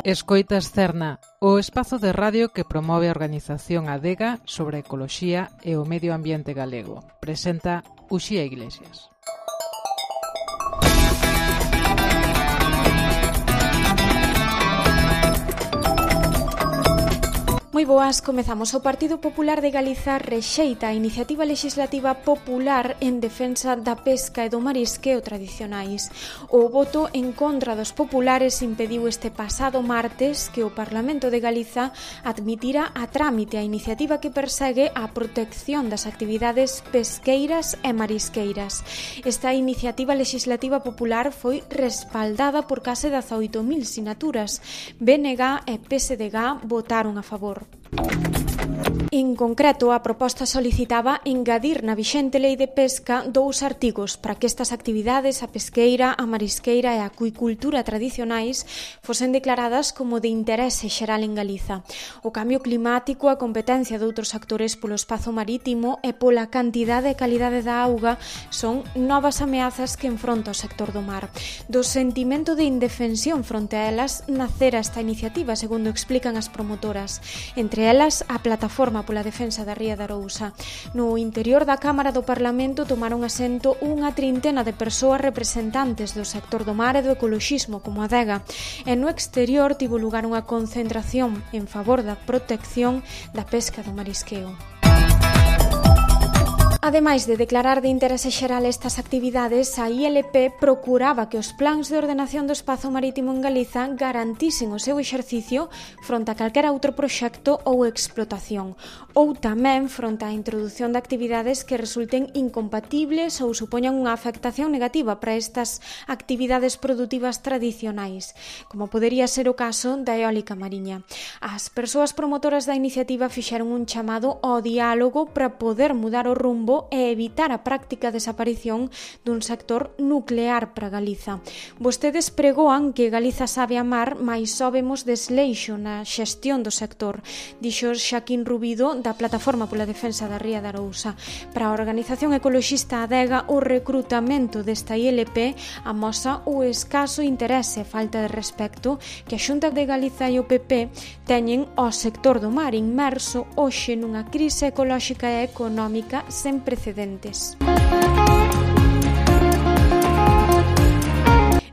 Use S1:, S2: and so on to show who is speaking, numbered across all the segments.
S1: Escoitas Cerna, o espazo de radio que promove a organización Adega sobre a ecoloxía e o medio ambiente galego. Presenta Uxía Iglesias.
S2: Moi boas, comezamos. O Partido Popular de Galiza rexeita a iniciativa legislativa popular en defensa da pesca e do marisqueo tradicionais. O voto en contra dos populares impediu este pasado martes que o Parlamento de Galiza admitira a trámite a iniciativa que persegue a protección das actividades pesqueiras e marisqueiras. Esta iniciativa legislativa popular foi respaldada por case 18.000 sinaturas. BNG e PSDG votaron a favor. En concreto, a proposta solicitaba engadir na vixente lei de pesca 2 artigos para que estas actividades, a pesqueira, a marisqueira e a acuicultura tradicionais, fosen declaradas como de interese xeral en Galiza. O cambio climático, a competencia de outros actores polo espazo marítimo e pola cantidade e calidade da auga son novas ameazas que enfronta o sector do mar. Do sentimento de indefensión fronte a elas nacera esta iniciativa, segundo explican as promotoras. Entre elas, a Plataforma pola Defensa da Ría de Arousa. No interior da Cámara do Parlamento tomaron asento unha trintena de persoas representantes do sector do mar e do ecoloxismo, como Adega, e no exterior tivo lugar unha concentración en favor da protección da pesca do marisqueo. Ademais de declarar de interese xeral estas actividades, a ILP procuraba que os plans de ordenación do espazo marítimo en Galiza garantisen o seu exercicio fronte a calquera outro proxecto ou explotación, ou tamén fronte á introdución de actividades que resulten incompatibles ou supoñan unha afectación negativa para estas actividades produtivas tradicionais, como podería ser o caso da eólica mariña. As persoas promotoras da iniciativa fixeron un chamado ao diálogo para poder mudar o rumbo e evitar a práctica desaparición dun sector nuclear para Galiza. Vostedes pregoan que Galiza sabe amar, mais só vemos desleixo na xestión do sector, dixo Xaquín Rubido da Plataforma pola Defensa da Ría de Arousa. Para a organización ecoloxista Adega, o recrutamento desta ILP amosa o escaso interese e falta de respecto que a Xunta de Galiza e o PP teñen ao sector do mar inmerso hoxe nunha crise ecolóxica e económica sen precedentes.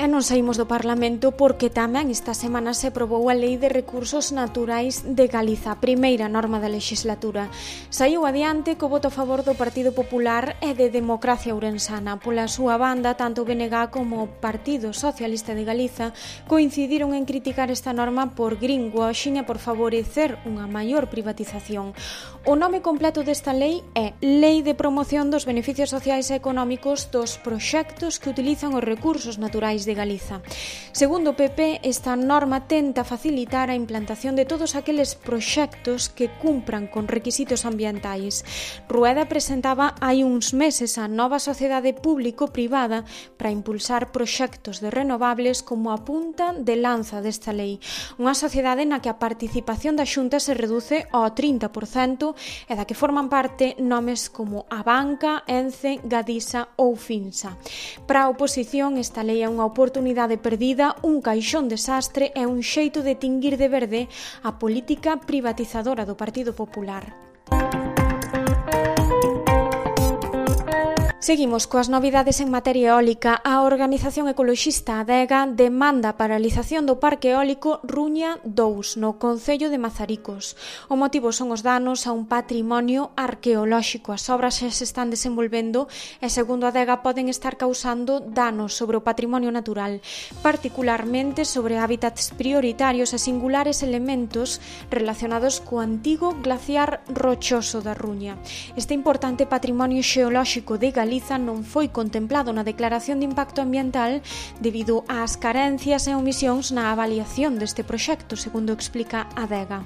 S2: E non saímos do Parlamento porque tamén esta semana se aprobou a Lei de Recursos Naturais de Galiza, a primeira norma da legislatura. Saiu adiante co voto a favor do Partido Popular e de Democracia Ourensana. Pola súa banda, tanto o BNG como o Partido Socialista de Galiza coincidiron en criticar esta norma por greenwashing e por favorecer unha maior privatización. O nome completo desta lei é Lei de Promoción dos Beneficios Sociais e Económicos dos Proxectos que utilizan os recursos naturais de Galiza. Segundo o PP, esta norma tenta facilitar a implantación de todos aqueles proxectos que cumpran con requisitos ambientais. Rueda presentaba hai uns meses a nova sociedade público-privada para impulsar proxectos de renovables como a punta de lanza desta lei. Unha sociedade na que a participación da Xunta se reduce ao 30% e da que forman parte nomes como Abanca, Ence, Gadisa ou Finsa. Para a oposición, esta lei é unha oportunidade perdida, un caixón desastre e un xeito de tinguir de verde a política privatizadora do Partido Popular. Seguimos coas novidades en materia eólica. A organización ecoloxista Adega demanda a paralización do parque eólico Ruña 2 no concello de Mazaricos. O motivo son os danos a un patrimonio arqueolóxico. As obras xa se están desenvolvendo e, segundo Adega, poden estar causando danos sobre o patrimonio natural, particularmente sobre hábitats prioritarios e singulares elementos relacionados co antigo glaciar rochoso da Ruña. Este importante patrimonio xeolóxico de Galiza non foi contemplado na declaración de impacto ambiental debido ás carencias e omisións na avaliación deste proxecto, segundo explica Adega.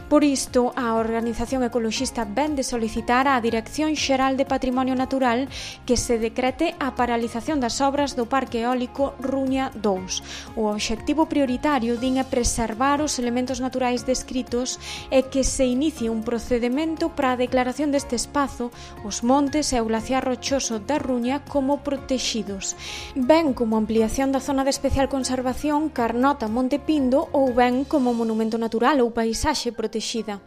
S2: Por isto, a organización ecoloxista vén de solicitar á Dirección Xeral de Patrimonio Natural que se decrete a paralización das obras do Parque Eólico Ruña 2. O obxectivo prioritario din é preservar os elementos naturais descritos e que se inicie un procedimento para a declaración deste espazo, os montes e o glaciar rochoso recurso da Ruña como protexidos, ben como ampliación da zona de especial conservación Carnota Monte Pindo ou ben como monumento natural ou paisaxe protexida.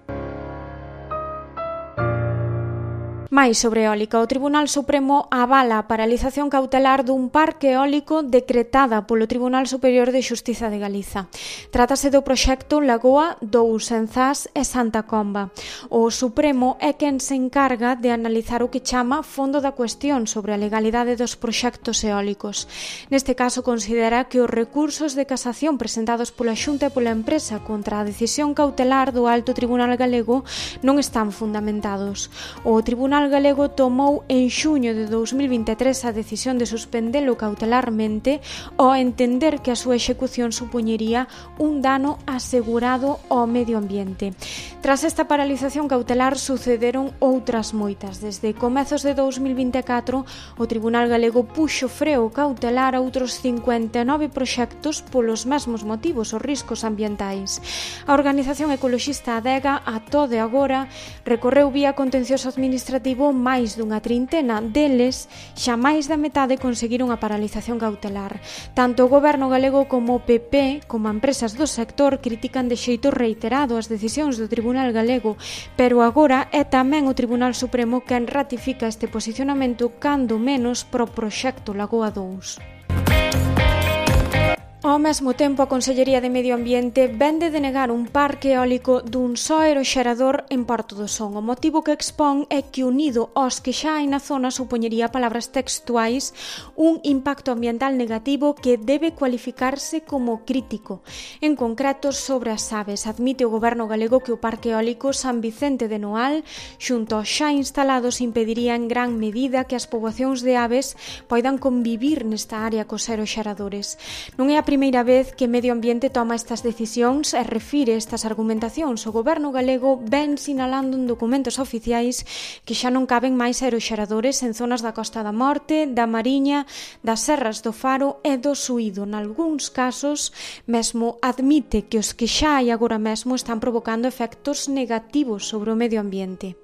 S2: Mais sobre eólica, o Tribunal Supremo avala a paralización cautelar dun parque eólico decretada polo Tribunal Superior de Xustiza de Galiza. Trátase do proxecto Lagoa 2 en Zas e Santa Comba. O Supremo é quen se encarga de analizar o que chama fondo da cuestión sobre a legalidade dos proxectos eólicos. Neste caso, considera que os recursos de casación presentados pola Xunta e pola empresa contra a decisión cautelar do Alto Tribunal Galego non están fundamentados. O Tribunal Galego tomou en xuño de 2023 a decisión de suspendelo cautelarmente ao entender que a súa execución supoñería un dano asegurado ao medio ambiente. Tras esta paralización cautelar sucederon outras moitas. Desde comezos de 2024, o Tribunal Galego puxo freo cautelar a outros 59 proxectos polos mesmos motivos, os riscos ambientais. A organización ecoloxista Adega, a todo de agora, recorreu vía contencioso administrativo máis dunha trintena, deles xa máis da metade conseguiron a paralización cautelar. Tanto o Goberno galego como o PP, como empresas do sector, critican de xeito reiterado as decisións do Tribunal Galego, pero agora é tamén o Tribunal Supremo quen ratifica este posicionamento cando menos pro proxecto Lagoa 2. Ao mesmo tempo, a Consellería de Medio Ambiente vende denegar un parque eólico dun só aeroxerador en Porto do Son. O motivo que expón é que, unido aos que xa hai na zona, supoñería, palabras textuais, un impacto ambiental negativo que debe cualificarse como crítico. En concreto, sobre as aves, admite o Goberno galego que o parque eólico San Vicente de Noal, xunto aos xa instalados, impediría en gran medida que as poboacións de aves poidan convivir nesta área cos aeroxeradores. Non é a primeira vez que Medio Ambiente toma estas decisións e refire estas argumentacións. O Goberno galego ven sinalando en documentos oficiais que xa non caben máis aeroxeradores en zonas da Costa da Morte, da Mariña, das Serras do Faro e do Suído. Nalgúns casos, mesmo admite que os que xa hai agora mesmo están provocando efectos negativos sobre o medio ambiente.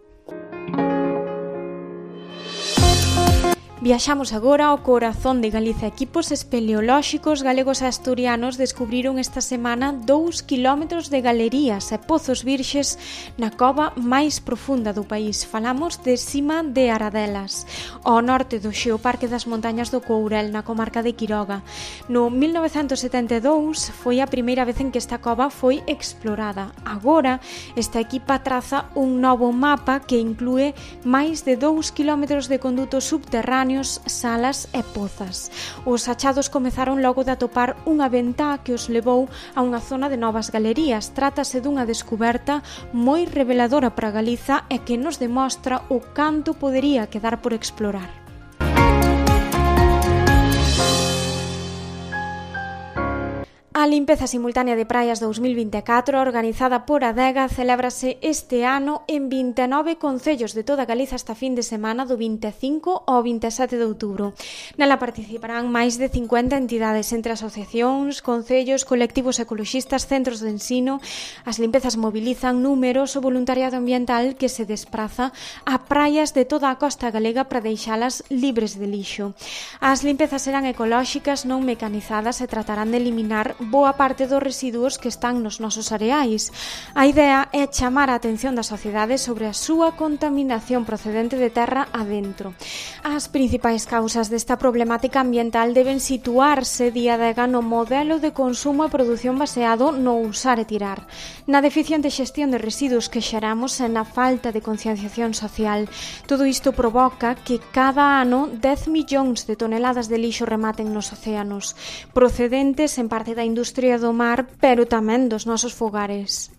S2: Viaxamos agora ao corazón de Galiza. Equipos espeleolóxicos galegos e asturianos descubriron esta semana 2 kilómetros de galerías e pozos virxes na cova máis profunda do país. Falamos de Sima de Aradelas, ao norte do Xeoparque das Montañas do Courel, na comarca de Quiroga. No 1972 foi a primeira vez en que esta cova foi explorada. Agora, esta equipa traza un novo mapa que inclúe máis de 2 kilómetros de condutos subterráneos, salas e pozas. Os achados comezaron logo de atopar unha ventá que os levou a unha zona de novas galerías. Trátase dunha descuberta moi reveladora para Galiza e que nos demostra o canto podería quedar por explorar. A limpeza simultánea de praias 2024, organizada por Adega, celébrase este ano en 29 concellos de toda Galiza esta fin de semana do 25 ao 27 de outubro. Nela participarán máis de 50 entidades entre asociacións, concellos, colectivos ecoloxistas, centros de ensino. As limpezas mobilizan numeroso voluntariado ambiental que se despraza a praias de toda a costa galega para deixalas libres de lixo. As limpezas serán ecolóxicas, non mecanizadas e tratarán de eliminar boa parte dos residuos que están nos nosos areais. A idea é chamar a atención da sociedade sobre a súa contaminación procedente de terra adentro. As principais causas desta problemática ambiental deben situarse día de no modelo de consumo e produción baseado no usar e tirar, na deficiente xestión de residuos que xeramos e na falta de concienciación social. Todo isto provoca que cada ano 10 millóns de toneladas de lixo rematen nos océanos, procedentes en parte da industria do mar, pero tamén dos nosos fogares.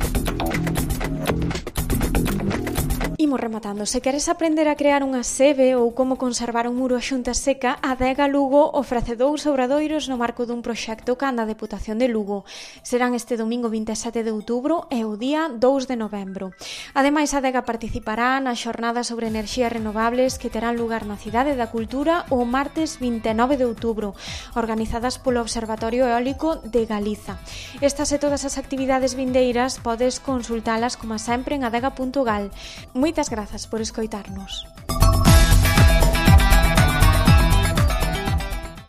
S2: Imos rematando. Se queres aprender a crear unha sebe ou como conservar un muro a xunta seca, Adega Lugo ofrece 2 obradoiros no marco dun proxecto canda a Deputación de Lugo. Serán este domingo 27 de outubro e o día 2 de novembro. Ademais, Adega participará na xornada sobre enerxías renovables que terán lugar na Cidade da Cultura o martes 29 de outubro, organizadas polo Observatorio Eólico de Galiza. Estas e todas as actividades vindeiras podes consultalas como sempre en adega.gal. Moitas grazas por escoitarnos.